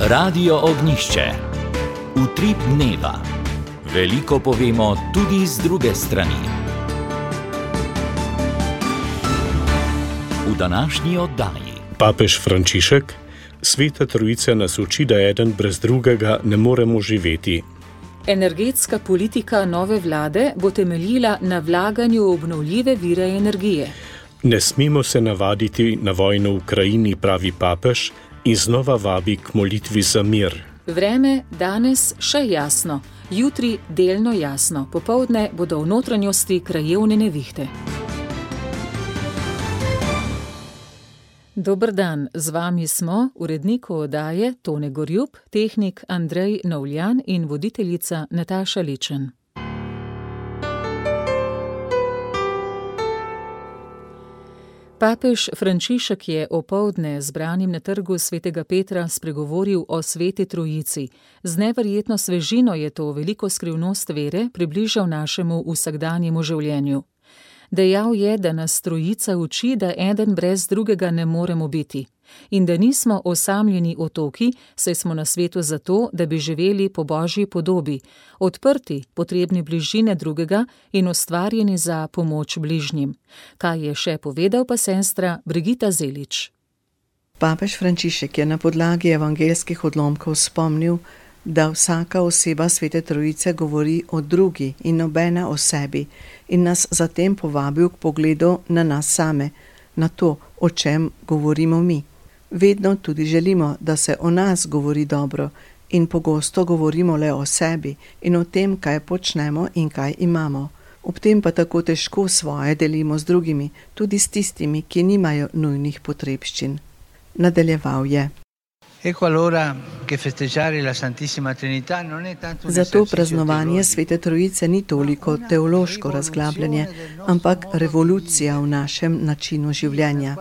Radio Ognišče. Utrip dneva. Veliko povemo tudi z druge strani. V današnji oddaji. Papež Frančišek: Sveta Trojica nas uči, da eden brez drugega ne moremo živeti. Energetska politika nove vlade bo temeljila na vlaganju v obnovljive vire energije. Ne smemo se navaditi na vojno v Ukrajini, pravi papež, in znova vabi k molitvi za mir. Vreme danes še jasno, jutri delno jasno, popoldne bodo v notranjosti krajevne nevihte. Dober dan, z vami smo urednik oddaje Tone Gorjup, tehnik Andrej Novljan in voditeljica Nataša Ličen. Papež Frančišek je opoldne zbranim na trgu svetega Petra spregovoril o Sveti Trojici. Z neverjetno svežino je to veliko skrivnost vere približal našemu vsakdanjemu življenju. Dejal je, da nas Trojica uči, da eden brez drugega ne moremo biti in da nismo osamljeni otoki, saj smo na svetu zato, da bi živeli po Božji podobi, odprti, potrebni bližine drugega in ustvarjeni za pomoč bližnjim. Kaj je še povedal pa sestra Brigita Zelič. Papež Frančišek je na podlagi evangeljskih odlomkov spomnil, da vsaka oseba Svete Trojice govori o drugi in nobena o sebi in nas zatem povabil k pogledu na nas same, na to, o čem govorimo mi. Vedno tudi želimo, da se o nas govori dobro in pogosto govorimo le o sebi in o tem, kaj počnemo in kaj imamo. Ob tem pa tako težko svoje delimo z drugimi, tudi s tistimi, ki nimajo nujnih potrebščin. Nadaljeval je. Zato praznovanje Svete Trojice ni toliko teološko razglabljanje, ampak revolucija v našem načinu življenja.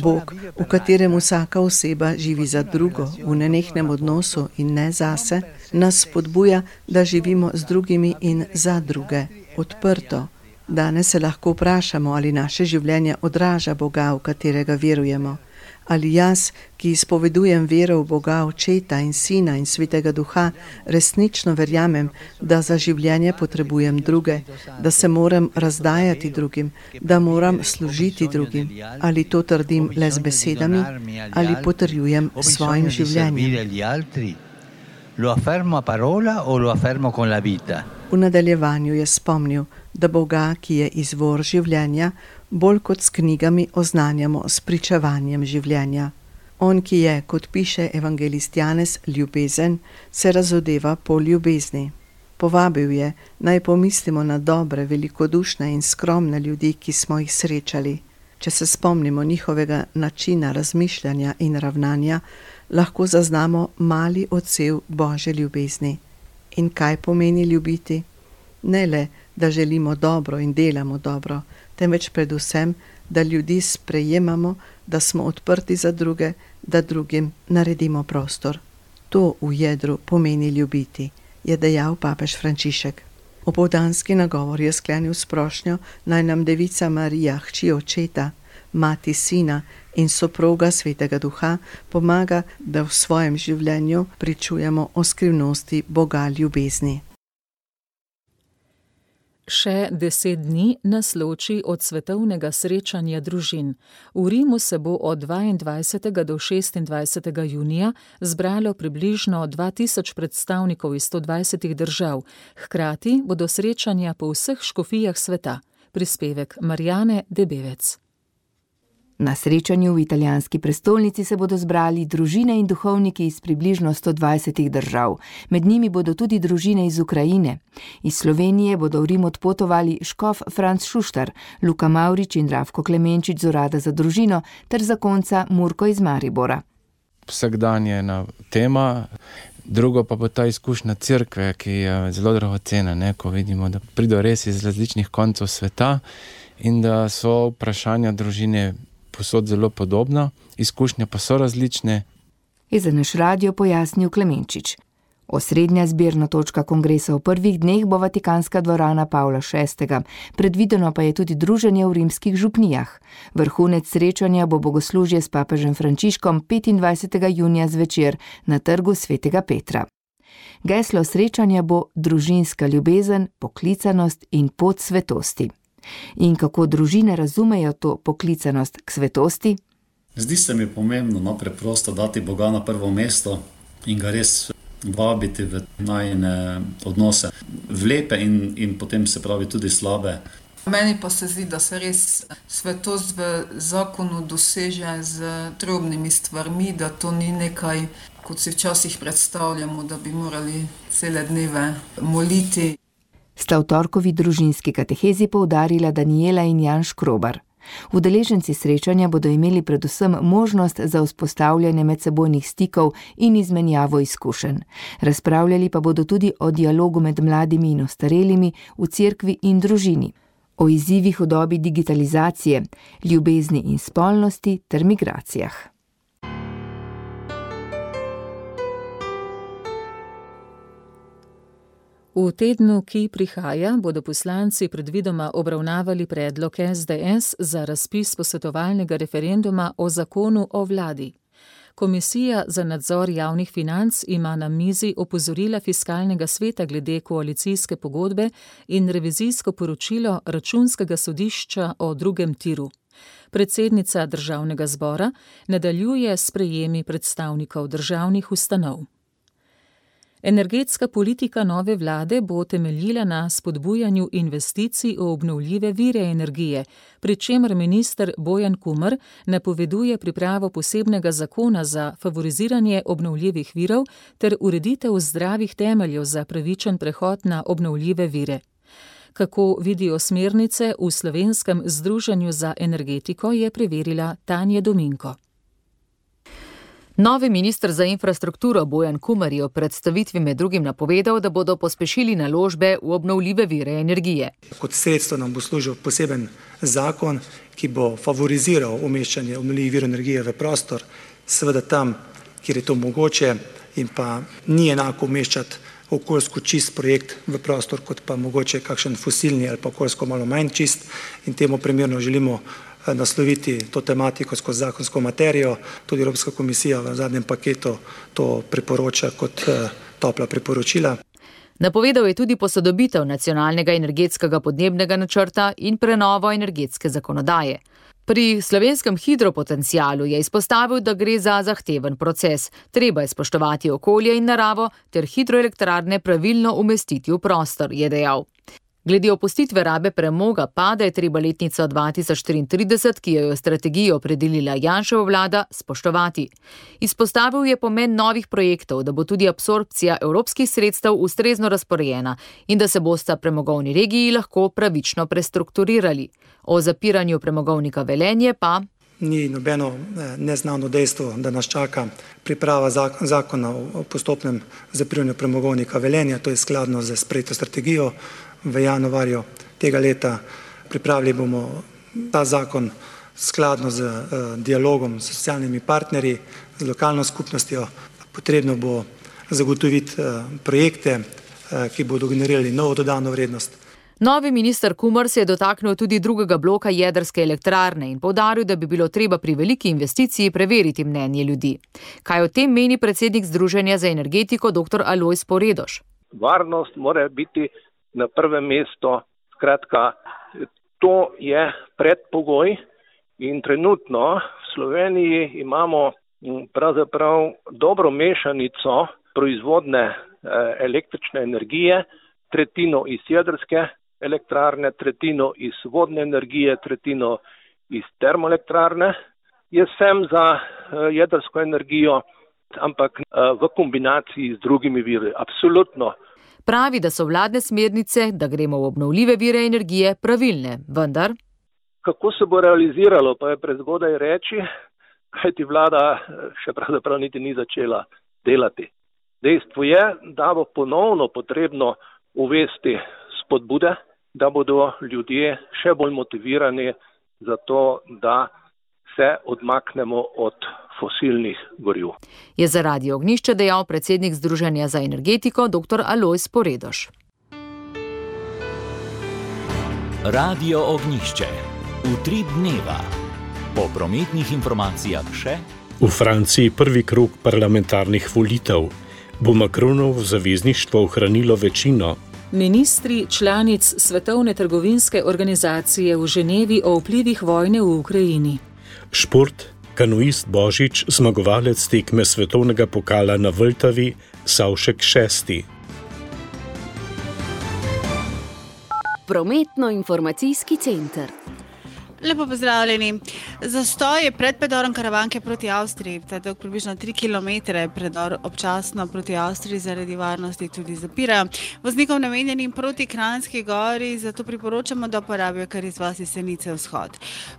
Bog, v katerem vsaka oseba živi za drugo, v nenehnem odnosu in ne zase, nas spodbuja, da živimo z drugimi in za druge, odprto. Danes se lahko vprašamo, ali naše življenje odraža Boga, v katerega verujemo. Ali jaz, ki izpovedujem vero v Boga, Očeta in Sina in Svetega Duha, resnično verjamem, da za življenje potrebujem druge, da se moram razdajati drugim, da moram služiti drugim. Ali to trdim le z besedami, ali potrjujem s svojim življenjem. V nadaljevanju je spomnil, da Boga, ki je izvor življenja, bolj kot s knjigami oznanjamo s pričevanjem življenja. On, ki je, kot piše evangelist Janez, ljubezen, se razodeva po ljubezni. Povabil je, naj pomislimo na dobre, velikodušne in skromne ljudi, ki smo jih srečali. Če se spomnimo njihovega načina razmišljanja in ravnanja, lahko zaznamo mali odsev Božje ljubezni. In kaj pomeni ljubiti? Ne le, da želimo dobro in delamo dobro, temveč predvsem, da ljudi sprejemamo, da smo odprti za druge, da drugim naredimo prostor. To v jedru pomeni ljubiti, je dejal papež Frančišek. Opoldanski nagovor je sklenil s prošnjo, naj nam Devica Marija, hči Očeta, mati Sina in soproga Svetega Duha, pomaga, da v svojem življenju pričujemo o skrivnosti Boga ljubezni. Še 10 dni nas loči od svetovnega srečanja družin. V Rimu se bo od 22. do 26. junija zbralo približno 2000 predstavnikov iz 120 držav. Hkrati bodo srečanja po vseh škofijah sveta. Prispevek Marjane Debevec. Na srečanju v italijanski prestolnici se bodo zbrali družine in duhovniki iz približno 120 držav. Med njimi bodo tudi družine iz Ukrajine. Iz Slovenije bodo v Rim odpotovali škof Franc Šuštar, Luka Mavrič in Rafko Klemenčič z Urada za družino ter zakonca Murko iz Maribora. Vsakdanjena tema, drugo pa bo ta izkušnja cerkve, ki je zelo dragocena, ko vidimo, da pridejo res iz različnih koncev sveta in da so vprašanja družine posod zelo podobno, izkušnje pa so različne. Je za naš radio pojasnil Klemenčič. Osrednja zbirna točka kongresa v prvih dneh bo Vatikanska dvorana Pavla VI. Predvideno pa je tudi druženje v rimskih župnijah. Vrhunec srečanja bo bogoslužje s papežem Frančiškom 25. junija zvečer na trgu svetega Petra. Geslo srečanja bo družinska ljubezen, poklicanost in pot svetosti. In kako družine razumejo to poklicanost k svetosti? Zdi se mi pomembno, preprosto dati Boga na prvo mesto in ga res vabiti v najine odnose, v lepe in potem se pravi tudi slabe. Meni pa se zdi, da se res svetost v zakonu doseže z drobnimi stvarmi, da to ni nekaj, kot si včasih predstavljamo, da bi morali cele dneve moliti. Sta v torkovi družinski katehezi poudarila Danijela in Jan Škrobar. Udeleženci srečanja bodo imeli predvsem možnost za vzpostavljanje medsebojnih stikov in izmenjavo izkušenj. Razpravljali pa bodo tudi o dialogu med mladimi in ostarelimi v cerkvi in družini, o izzivih v dobi digitalizacije, ljubezni in spolnosti ter migracijah. V tednu, ki prihaja, bodo poslanci predvidoma obravnavali predlog SDS za razpis posvetovalnega referenduma o zakonu o vladi. Komisija za nadzor javnih financ ima na mizi opozorila Fiskalnega sveta glede koalicijske pogodbe in revizijsko poročilo Računskega sodišča o drugem tiru. Predsednica Državnega zbora nadaljuje s sprejemi predstavnikov državnih ustanov. Energetska politika nove vlade bo temeljila na spodbujanju investicij v obnovljive vire energije, pri čemer minister Bojan Kumer napoveduje pripravo posebnega zakona za favoriziranje obnovljivih virov ter ureditev zdravih temeljev za pravičen prehod na obnovljive vire. Kako vidijo smernice v Slovenskem združenju za energetiko, je preverila Tanja Dominko. Novi minister za infrastrukturo Bojan Kumer je v predstavitvi med drugim napovedal, da bodo pospešili naložbe v obnovljive vire energije. Kot sredstvo nam bo služil poseben zakon, ki bo favoriziral umeščanje obnovljivih virov energije v prostor, seveda tam, kjer je to mogoče in pa ni enako umeščati okoljsko čist projekt v prostor, kot pa mogoče kakšen fosilni ali pa okoljsko malo manj čist, in temu primerno želimo nasloviti to tematiko skozi zakonsko materijo. Tudi Evropska komisija v zadnjem paketu to priporoča kot topla priporočila. Napovedal je tudi posodobitev nacionalnega energetskega podnebnega načrta in prenovo energetske zakonodaje. Pri slovenskem hidropotencialu je izpostavil, da gre za zahteven proces. Treba je spoštovati okolje in naravo ter hidroelektrarne pravilno umestiti v prostor, je dejal. Glede opustitve rabe premoga pa, da je treba letnico 2034, ki jo je v strategiji opredelila Janševa vlada, spoštovati. Izpostavil je pomen novih projektov, da bo tudi absorpcija evropskih sredstev ustrezno razporejena in da se bosta premogovni regiji lahko pravično prestrukturirali. O zapiranju premogovnika Velenje pa ni nobeno neznano dejstvo, da nas čaka priprava zakona o postopnem zapiranju premogovnika Velenja. To je skladno z sprejeto strategijo. V januarju tega leta pripravili bomo ta zakon skladno z dialogom s socialnimi partnerji, z lokalno skupnostjo. Potrebno bo zagotoviti projekte, ki bodo generirali novo dodano vrednost. Novi minister Kumer se je dotaknil tudi drugega bloka jedrske elektrarne in poudaril, da bi bilo treba pri veliki investiciji preveriti mnenje ljudi. Kaj o tem meni predsednik Združenja za energetiko dr. Alojz Poredoš? Varnost mora biti na prvem mestu. Skratka, to je predpogoj in trenutno v Sloveniji imamo pravzaprav dobro mešanico proizvodne električne energije, tretjino iz jedrske elektrarne, tretjino iz vodne energije, tretjino iz termoelektrarne. Jaz sem za jedrsko energijo, ampak v kombinaciji z drugimi viri. Absolutno. Pravi, da so vladne smernice, da gremo v obnovljive vire energije, pravilne, vendar. Kako se bo realiziralo, pa je prezgodaj reči, kajti vlada še pravzaprav niti ni začela delati. Dejstvo je, da bo ponovno potrebno uvesti spodbude, da bodo ljudje še bolj motivirani za to, da se odmaknemo od fosilnih goriv. Je za Radio Ognjišče dejal predsednik Združenja za energetiko dr. Alojz Poredoš. Radio Ognjišče. Utrip dneva. Po prometnih informacijah še. V Franciji prvi krog parlamentarnih volitev. Bo Macronovo zavezništvo ohranilo večino? Ministri članic Svetovne trgovinske organizacije v Ženevi o vplivih vojne v Ukrajini. Šport, kanuist Božič, zmagovalec tekme svetovnega pokala na Vltavi, Savšek 6. Prometno-informacijski center. Lepo pozdravljeni. Zastoj je pred predorom Karavanke proti Avstriji, ta dolg približno 3 km, predor občasno proti Avstriji zaradi varnosti tudi zapira. Voznikom namenjenim proti Kranjski gori, zato priporočamo, da uporabijo kar iz vasi Senice vzhod.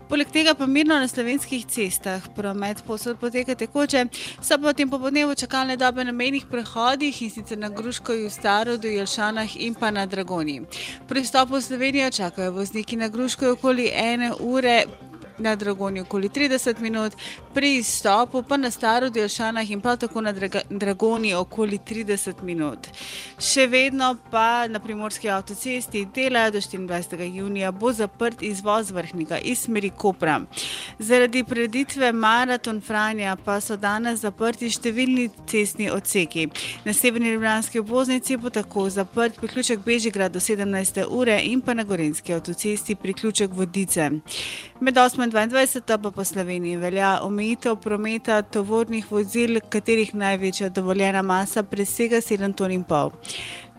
Poleg tega pa mirno na slovenskih cestah, promet povsod poteka tekoče, so pa potem popodnevu čakalne dobe na mejnih prehodih, in sicer na Gruškovju, Starodu, Jelšanah in pa na Dragonji. Pri vstopu v Slovenijo čakajo vozniki na Gruškovju okoli 1 ure, na Dragonji okoli 30 minut, pri izstopu pa na Starodu, Jelšanah in prav tako na Dragonji okoli 30 minut. Še vedno pa na Primorski avtocesti delajo do 24. junija bo zaprt izvoz Vrhnika iz smeri Kopra. Zaradi prireditve Maraton Franja pa so danes zaprti številni cestni odseki. Na severni ljubljanski obvoznici bo tako zaprt priključek Bežigrad do 17. ure in pa na Gorenjski avtocesti priključek Vodice. Med 8. in 22. pa po Sloveniji velja omejitev prometa tovornih vozil, katerih največja dovoljena masa presega 7,5 ton.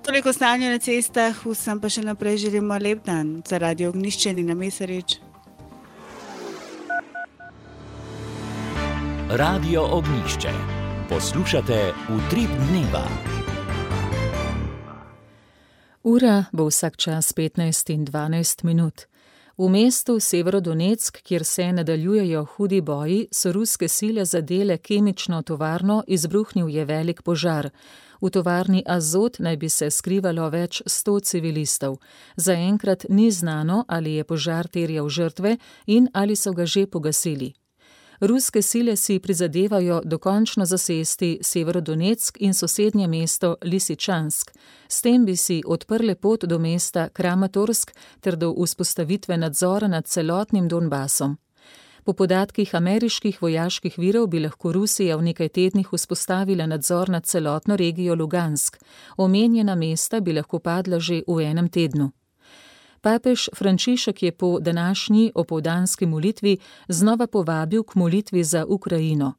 Toliko stanja na cestah, vsem pa še naprej želimo lep dan. Za Radio Ognjišče Nina Mesarič. Radio Ognjišče. Poslušate Utrip dneva. Ura bo vsak čas 15 in 12 minut. V mestu Severodonetsk, kjer se nadaljujejo hudi boji, so ruske sile zadele kemično tovarno, izbruhnil je velik požar. V tovarni Azot naj bi se skrivalo več 100 civilistov. Zaenkrat ni znano, ali je požar terjal žrtve in ali so ga že pogasili. Ruske sile si prizadevajo dokončno zasesti Severodonetsk in sosednje mesto Lisičansk. S tem bi si odprle pot do mesta Kramatorsk ter do vzpostavitve nadzora nad celotnim Donbasom. Po podatkih ameriških vojaških virov bi lahko Rusija v nekaj tednih vzpostavila nadzor nad celotno regijo Lugansk. Omenjena mesta bi lahko padla že v enem tednu. Papež Frančišek je po današnji opoldanski molitvi znova povabil k molitvi za Ukrajino.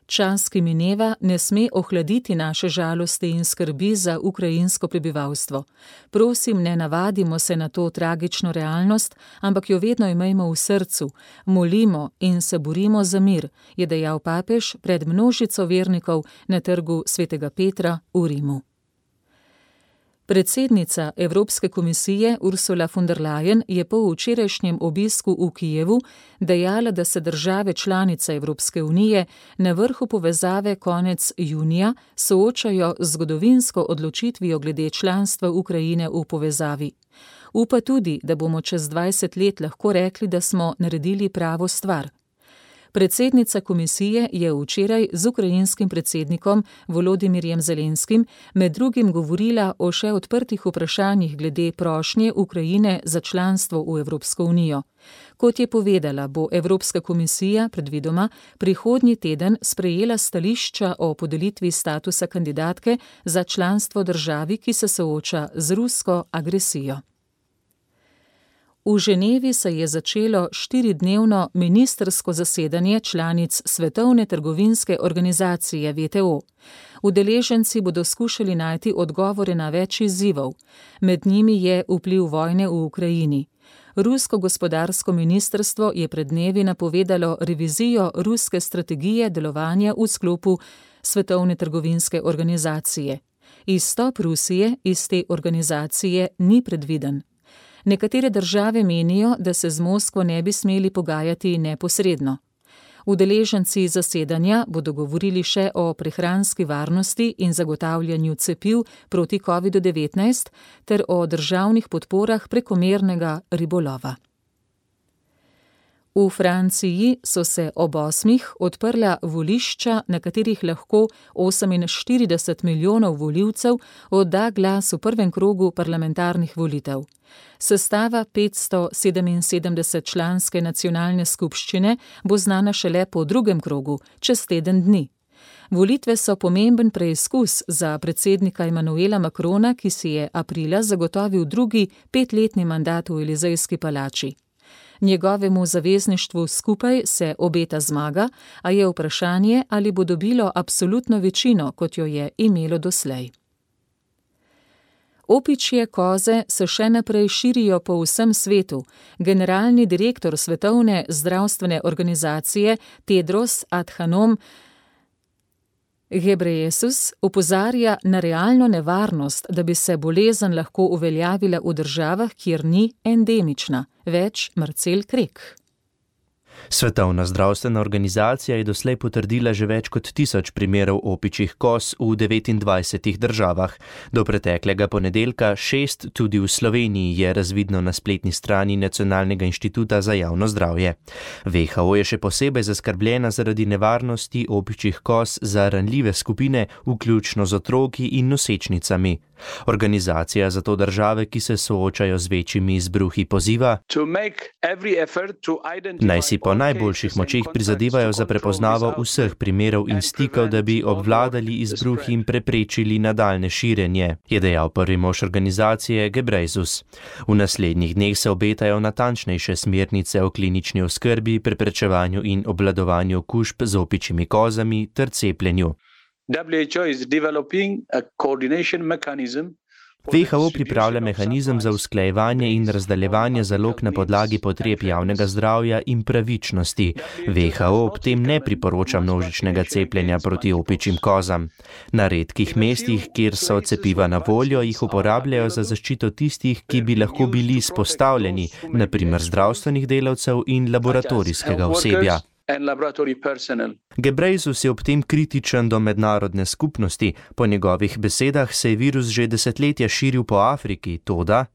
Čas, ki mineva, ne sme ohladiti naše žalosti in skrbi za ukrajinsko prebivalstvo. Prosim, ne navadimo se na to tragično realnost, ampak jo vedno imejmo v srcu, molimo in se borimo za mir, je dejal papež pred množico vernikov na trgu Svetega Petra v Rimu. Predsednica Evropske komisije Ursula von der Leyen je po včerajšnjem obisku v Kijevu dejala, da se države članice Evropske unije na vrhu povezave konec junija soočajo z zgodovinsko odločitvijo glede članstva Ukrajine v povezavi. Upa tudi, da bomo čez 20 let lahko rekli, da smo naredili pravo stvar. Predsednica komisije je včeraj z ukrajinskim predsednikom Volodimirjem Zelenskim med drugim govorila o še odprtih vprašanjih glede prošnje Ukrajine za članstvo v Evropsko unijo. Kot je povedala, bo Evropska komisija predvidoma prihodnji teden sprejela stališča o podelitvi statusa kandidatke za članstvo državi, ki se sooča z rusko agresijo. V Ženevi se je začelo 4-dnevno ministrsko zasedanje članic Svetovne trgovinske organizacije WTO. Udeleženci bodo skušali najti odgovore na več izzivov. Med njimi je vpliv vojne v Ukrajini. Rusko gospodarsko ministrstvo je pred dnevi napovedalo revizijo ruske strategije delovanja v sklopu Svetovne trgovinske organizacije. Izstop Rusije iz te organizacije ni predviden. Nekatere države menijo, da se z Moskvo ne bi smeli pogajati neposredno. Udeleženci zasedanja bodo govorili še o prehranski varnosti in zagotavljanju cepiv proti COVID-19 ter o državnih podporah prekomernega ribolova. V Franciji so se ob 8 odprla volišča, na katerih lahko 48 milijonov volivcev odda glas v prvem krogu parlamentarnih volitev. Sestava 577-članske nacionalne skupščine bo znana šele po drugem krogu, čez teden dni. Volitve so pomemben preizkus za predsednika Emanuela Macrona, ki si je aprila zagotovil drugi 5-letni mandat v Elizejski palači. Njegovemu zavezništvu skupaj se obeta zmaga, a je vprašanje, ali bo dobilo absolutno večino, kot jo je imelo doslej. Opičje koze se še naprej širijo po vsem svetu. Generalni direktor Svetovne zdravstvene organizacije Tedros Adhanom Ghebreyesus opozarja na realno nevarnost, da bi se bolezen lahko uveljavila v državah, kjer ni endemična. Več Marcel Krek. Svetovna zdravstvena organizacija je doslej potrdila že več kot 1000 primerov opičjih koz v 29 državah. Do preteklega ponedeljka 6 tudi v Sloveniji, je razvidno na spletni strani Nacionalnega inštituta za javno zdravje. WHO je še posebej zaskrbljena zaradi nevarnosti opičjih koz za ranljive skupine, vključno z otroki in nosečnicami. Organizacija zato države, ki se soočajo z večjimi izbruhi, poziva, naj si po najboljših močeh prizadevajo za prepoznavo vseh primerov in stikov, da bi obvladali izbruh in preprečili nadaljne širjenje, je dejal prvi mož organizacije Ghebreyesus. V naslednjih dneh se obetajo natančnejše smernice o klinični oskrbi, preprečevanju in obvladovanju okužb z opičjimi kozami ter cepljenju. WHO is developing a coordination mechanism. WHO pripravlja mehanizem za usklajevanje in razdaljevanje zalog na podlagi potreb javnega zdravja in pravičnosti. WHO ob tem ne priporoča množičnega cepljenja proti opičjim kozam. Na redkih mestih, kjer so cepiva na voljo, jih uporabljajo za zaščito tistih, ki bi lahko bili izpostavljeni, na primer zdravstvenih delavcev in laboratorijskega osebja. Ghebreyesus je ob tem kritičen do mednarodne skupnosti. Po njegovih besedah se je virus že desetletja širil po Afriki, toda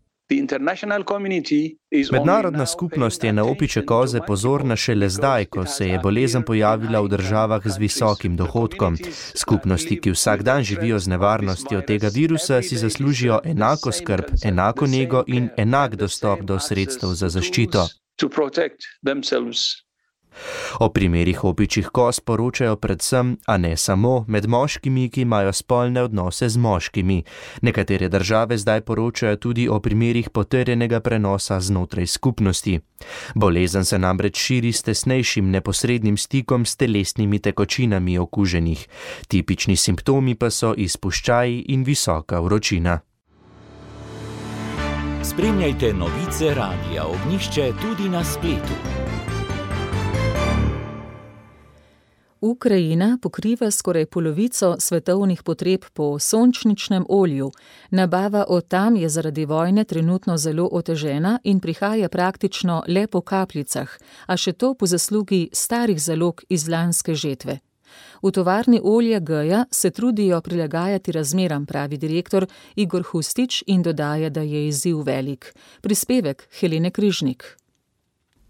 mednarodna skupnost je na opičje koze pozorna šele zdaj, ko se je bolezen pojavila v državah z visokim dohodkom. Skupnosti, ki vsak dan živijo z nevarnostjo tega virusa, si zaslužijo enako skrb, enako nego in enak dostop do sredstev za zaščito. O primerih opičjih koz poročajo predvsem, a ne samo, med moškimi, ki imajo spolne odnose z moškimi. Nekatere države zdaj poročajo tudi o primerih potrjenega prenosa znotraj skupnosti. Bolezen se namreč širi s tesnejšim neposrednim stikom s telesnimi tekočinami okuženih. Tipični simptomi pa so izpuščaji in visoka vročina. Spremljajte novice Radia Ognjišče tudi na spletu. Ukrajina pokriva skoraj polovico svetovnih potreb po sončničnem olju. Nabava od tam je zaradi vojne trenutno zelo otežena in prihaja praktično le po kapljicah, a še to po zaslugi starih zalog iz lanske žetve. V tovarni olja Geja se trudijo prilagajati razmeram, pravi direktor Igor Hustič in dodaja, da je izziv velik. Prispevek Helene Križnik.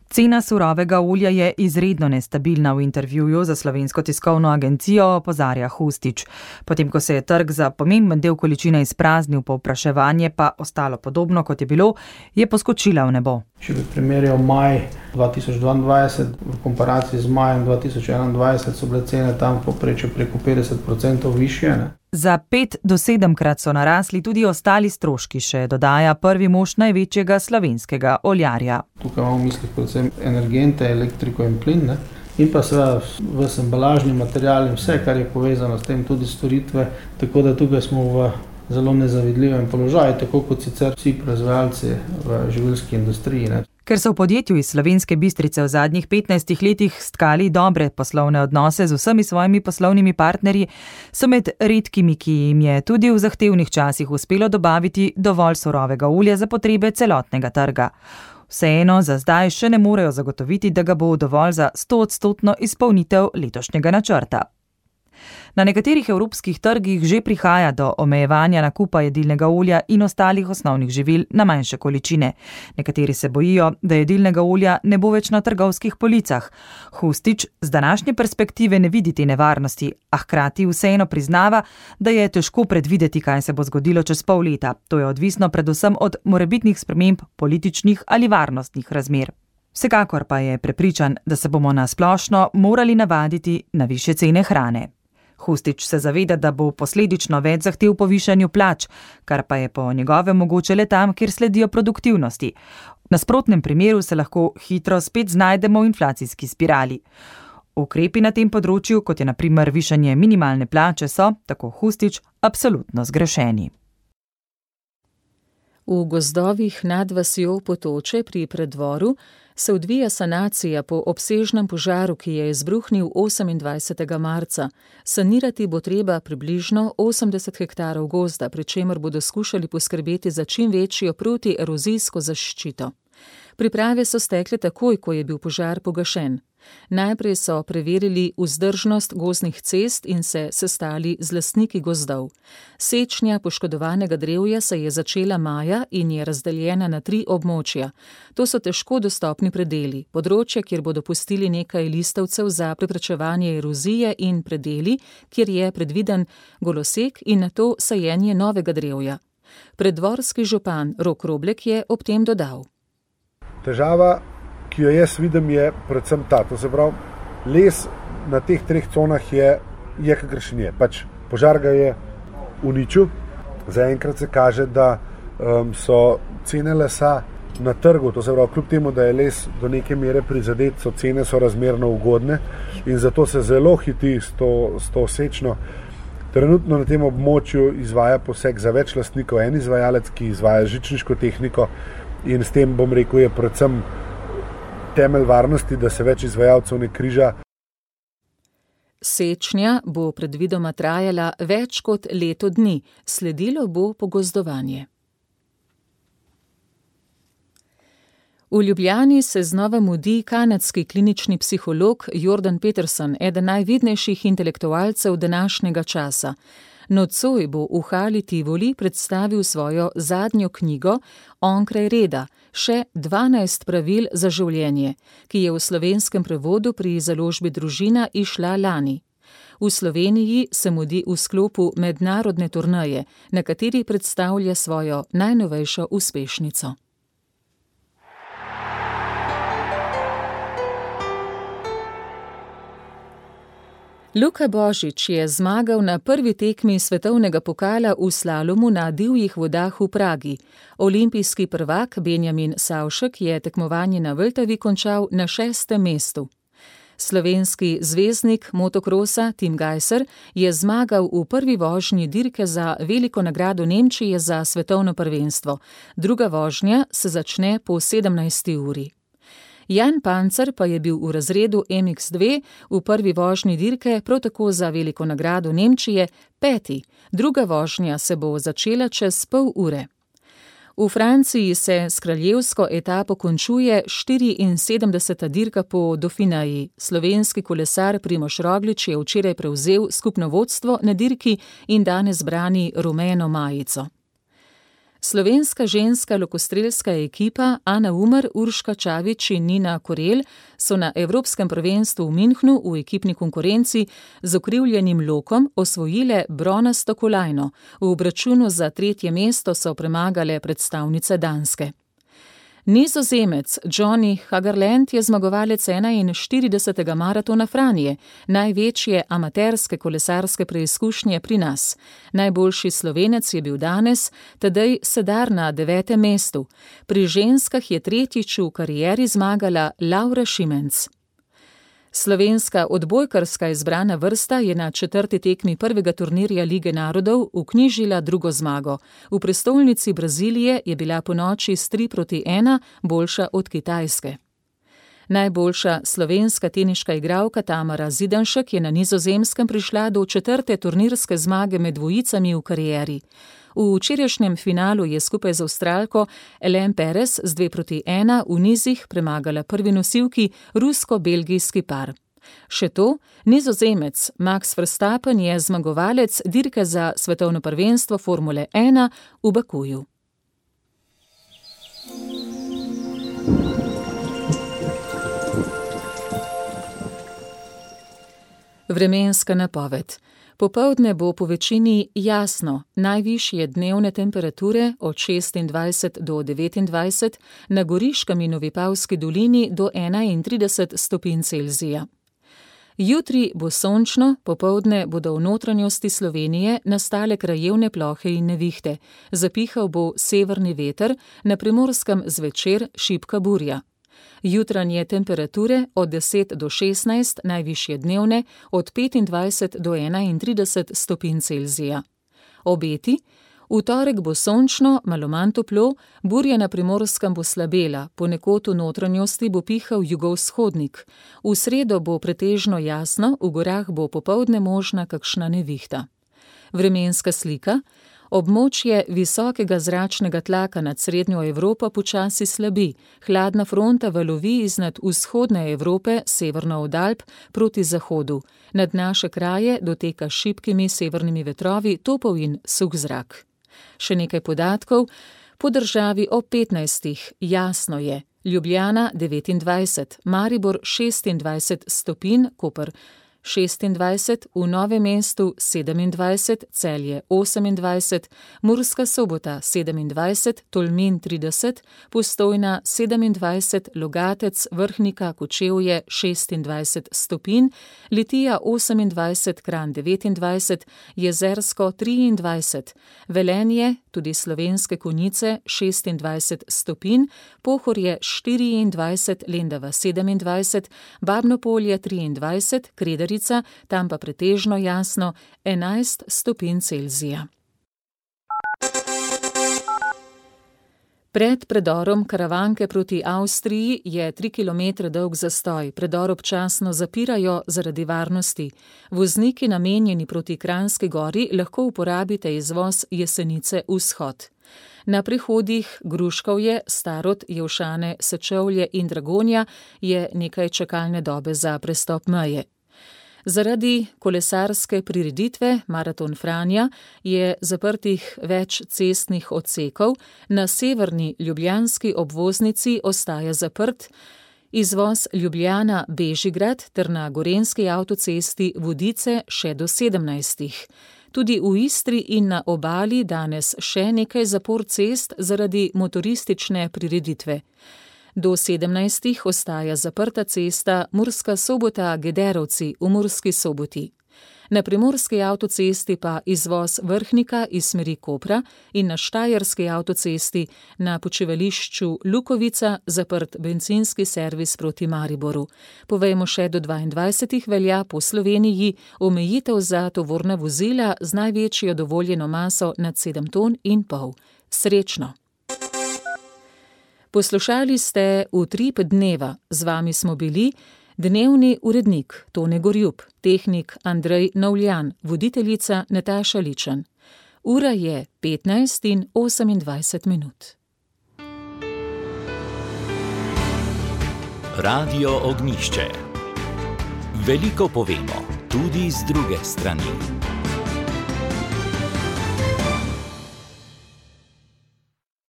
Cena surovega olja je izredno nestabilna, v intervjuju za Slovensko tiskovno agencijo opozarja Hustič. Potem, ko se je trg za pomemben del količine izpraznil, povpraševanje pa ostalo podobno, kot je bilo, je poskočila v nebo. Če bi primerjal maj 2022 v komparaciji z majem 2021, so bile cene tam povprečju preko 50% višje. Za 5 do 7-krat so narasli tudi ostali stroški, še dodaja prvi mož največjega slovenskega oljarja. Tukaj imamo v mislih predvsem energente, elektriko in plin, in pa seveda ves embalažni material in vse, kar je povezano s tem, tudi storitve, tako da tukaj smo v zelo nezavidljivem položaju, tako kot sicer vsi proizvajalci v živilski industriji. Ker so v podjetju iz Slovenske Bistrice v zadnjih 15 letih stkali dobre poslovne odnose z vsemi svojimi poslovnimi partnerji, so med redkimi, ki jim je tudi v zahtevnih časih uspelo dobaviti dovolj surovega olja za potrebe celotnega trga. Vseeno za zdaj še ne morejo zagotoviti, da ga bo dovolj za 100% izpolnitev letošnjega načrta. Na nekaterih evropskih trgih že prihaja do omejevanja nakupa jedilnega olja in ostalih osnovnih živil na manjše količine. Nekateri se bojijo, da jedilnega olja ne bo več na trgovskih policah. Hustič z današnje perspektive ne vidi te nevarnosti, a hkrati vseeno priznava, da je težko predvideti, kaj se bo zgodilo čez pol leta. To je odvisno predvsem od morebitnih sprememb političnih ali varnostnih razmer. Vsekakor pa je prepričan, da se bomo na splošno morali navaditi na višje cene hrane. Hustič se zaveda, da bo posledično več zahtev po višanju plač, kar pa je po njegovem mogoče le tam, kjer sledijo produktivnosti. V nasprotnem primeru se lahko hitro spet znajdemo v inflacijski spirali. Ukrepi na tem področju, kot je na primer višanje minimalne plače, so, tako Hustič, absolutno zgrešeni. V gozdovih nad vasjo Potoče pri Preddvoru se odvija sanacija po obsežnem požaru, ki je izbruhnil 28. marca. Sanirati bo treba približno 80 hektarov gozda, pri čemer bodo skušali poskrbeti za čim večjo protierozijsko zaščito. Priprave so stekle takoj, ko je bil požar pogašen. Najprej so preverili vzdržnost gozdnih cest in se sestali z lastniki gozdov. Sečnja poškodovanega drevja se je začela maja in je razdeljena na 3 območja. To so težko dostopni predeli, področja, kjer bodo pustili nekaj listavcev za preprečevanje erozije in predeli, kjer je predviden golosek in nato sajenje novega drevja. Preddvorski župan Rok Roblek je ob tem dodal. Težava, ki jo jaz vidim, je predvsem ta. To se pravi, les na teh 3 conah je kakršen je. Pač požar ga je uničil. Zaenkrat se kaže, da so cene lesa na trgu, to se pravi, kljub temu, da je les do neke mere prizadet, so cene razmerno ugodne in zato se zelo hiti s to sečno. Trenutno na tem območju izvaja poseg za več lastnikov en izvajalec, ki izvaja žičniško tehniko in s tem, bom rekel, je predvsem temelj varnosti, da se več izvajalcev ne križa. Sečnja bo predvidoma trajala več kot leto dni, sledilo bo pogozdovanje. V Ljubljani se znova mudi kanadski klinični psiholog Jordan Peterson, eden najvidnejših intelektualcev današnjega časa. Nocoj bo v hali Tivoli predstavil svojo zadnjo knjigo Onkraj reda, še 12 pravil za življenje, ki je v slovenskem prevodu pri založbi Družina izšla lani. V Sloveniji se mudi v sklopu mednarodne turneje, na kateri predstavlja svojo najnovejšo uspešnico. Luka Božič je zmagal na prvi tekmi svetovnega pokala v slalomu na divjih vodah v Pragi. Olimpijski prvak Benjamin Savšek je tekmovanje na Vltavi končal na 6. mestu. Slovenski zvezdnik motokrosa Tim Gajser je zmagal v prvi vožnji dirke za veliko nagrado Nemčije za svetovno prvenstvo. Druga vožnja se začne po 17. uri. Jan Pancer pa je bil v razredu MX2 v prvi vožnji dirke prav tako za veliko nagrado Nemčije 5. Druga vožnja se bo začela čez pol ure. V Franciji se s kraljevsko etapo končuje 74. dirka po Dauphineji. Slovenski kolesar Primož Roglič je včeraj prevzel skupno vodstvo na dirki in danes brani rumeno majico. Slovenska ženska lokostrelska ekipa Ana Umar, Urška Čavič in Nina Korel so na Evropskem prvenstvu v Münchnu v ekipni konkurenci z ukrivljenim lokom osvojile bronasto kolajno. V obračunu za 3. mesto so premagale predstavnice Danske. Nizozemec Johnny Hagerland je zmagovalec 41. maratona Franje, največje amaterske kolesarske preizkušnje pri nas. Najboljši Slovenec je bil danes Tadej Sedar na 9. mestu. Pri ženskah je tretjič v karieri zmagala Laura Šimenc. Slovenska odbojkarska izbrana vrsta je na 4. tekmi prvega turnirja Lige narodov vknjižila drugo zmago. V prestolnici Brazilije je bila ponoči s 3-1 boljša od Kitajske. Najboljša slovenska teniška igralka Tamara Zidanšek je na Nizozemskem prišla do 4. turnirske zmage med dvojicami v karieri. V včerajšnjem finalu je skupaj z Avstralko Elaine Perez z 2-1 v nizih premagala prvi nosilki rusko-belgijski par. Še to, Nizozemec Max Verstappen je zmagovalec dirke za svetovno prvenstvo Formule 1 v Bakuju. Vremenska napoved. Popoldne bo po večini jasno, najvišje dnevne temperature od 26 do 29, na Goriškem in v Vipavski dolini do 31 stopinj Celzija. Jutri bo sončno, popoldne bodo v notranjosti Slovenije nastale krajevne plohe in nevihte. Zapihal bo severni veter, na Primorskem zvečer šibka burja. Jutranje temperature od 10 do 16, najvišje dnevne od 25 do 31 stopinj Celzija. Obeti: v torek bo sončno, malo manj toplo, burja na Primorskem bo slabela, ponekod v notranjosti bo pihal jugovzhodnik. V sredo bo pretežno jasno, v gorah bo popoldne možna kakšna nevihta. Vremenska slika. Območje visokega zračnega tlaka nad srednjo Evropo počasi slabi, hladna fronta valovi iznad vzhodne Evrope severno od Alp proti zahodu. Nad naše kraje doteka šibkimi severnimi vetrovi topel in suh zrak. Še nekaj podatkov. Po državi ob 15. jasno je: Ljubljana 29, Maribor 26 stopinj, Koper 26, v Novem mestu 27, Celje 28, Murska Sobota 27, Tolmin 30, Postojna 27, Logatec, Vrhnika, Kočevje 26 stopinj, Litija 28, Kranj 29, Jezersko 23, Velenje, tudi Slovenske Konjice 26 stopinj, Pohorje 24, Lendava 27, Babnopolje 23, Kredarica, tam pa pretežno jasno 11 stopinj Celzija. Pred predorom Karavanke proti Avstriji je 3 km dolg zastoj. Predor občasno zapirajo zaradi varnosti. Vozniki namenjeni proti Kranjski gori lahko uporabite izvoz Jesenice vzhod. Na prehodih Gruškovje, Starod, Jelšane, Sečovlje in Dragonja je nekaj čakalne dobe za prestop meje. Zaradi kolesarske prireditve Maraton Franja je zaprtih več cestnih odsekov, na severni ljubljanski obvoznici ostaja zaprt izvoz Ljubljana-Bežigrad ter na gorenjski avtocesti Vodice še do 17. Tudi v Istri in na obali danes še nekaj zapor cest zaradi motoristične prireditve. Do 17. ostaja zaprta cesta Murska Sobota-Gederovci v Murski Soboti. Na primorski avtocesti pa izvoz Vrhnika iz smeri Kopra in na štajerski avtocesti na počivališču Lukovica zaprt bencinski servis proti Mariboru. Povejmo še, do 22. velja po Sloveniji omejitev za tovorna vozila z največjo dovoljeno maso nad 7,5 ton. Srečno! Poslušali ste Utrip dneva. Z vami smo bili dnevni urednik Tone Gorjup, tehnik Andrej Novljan, voditeljica Nataša Ličen. Ura je 15:28. Radio Ognjišče. Veliko povemo, tudi z druge strani.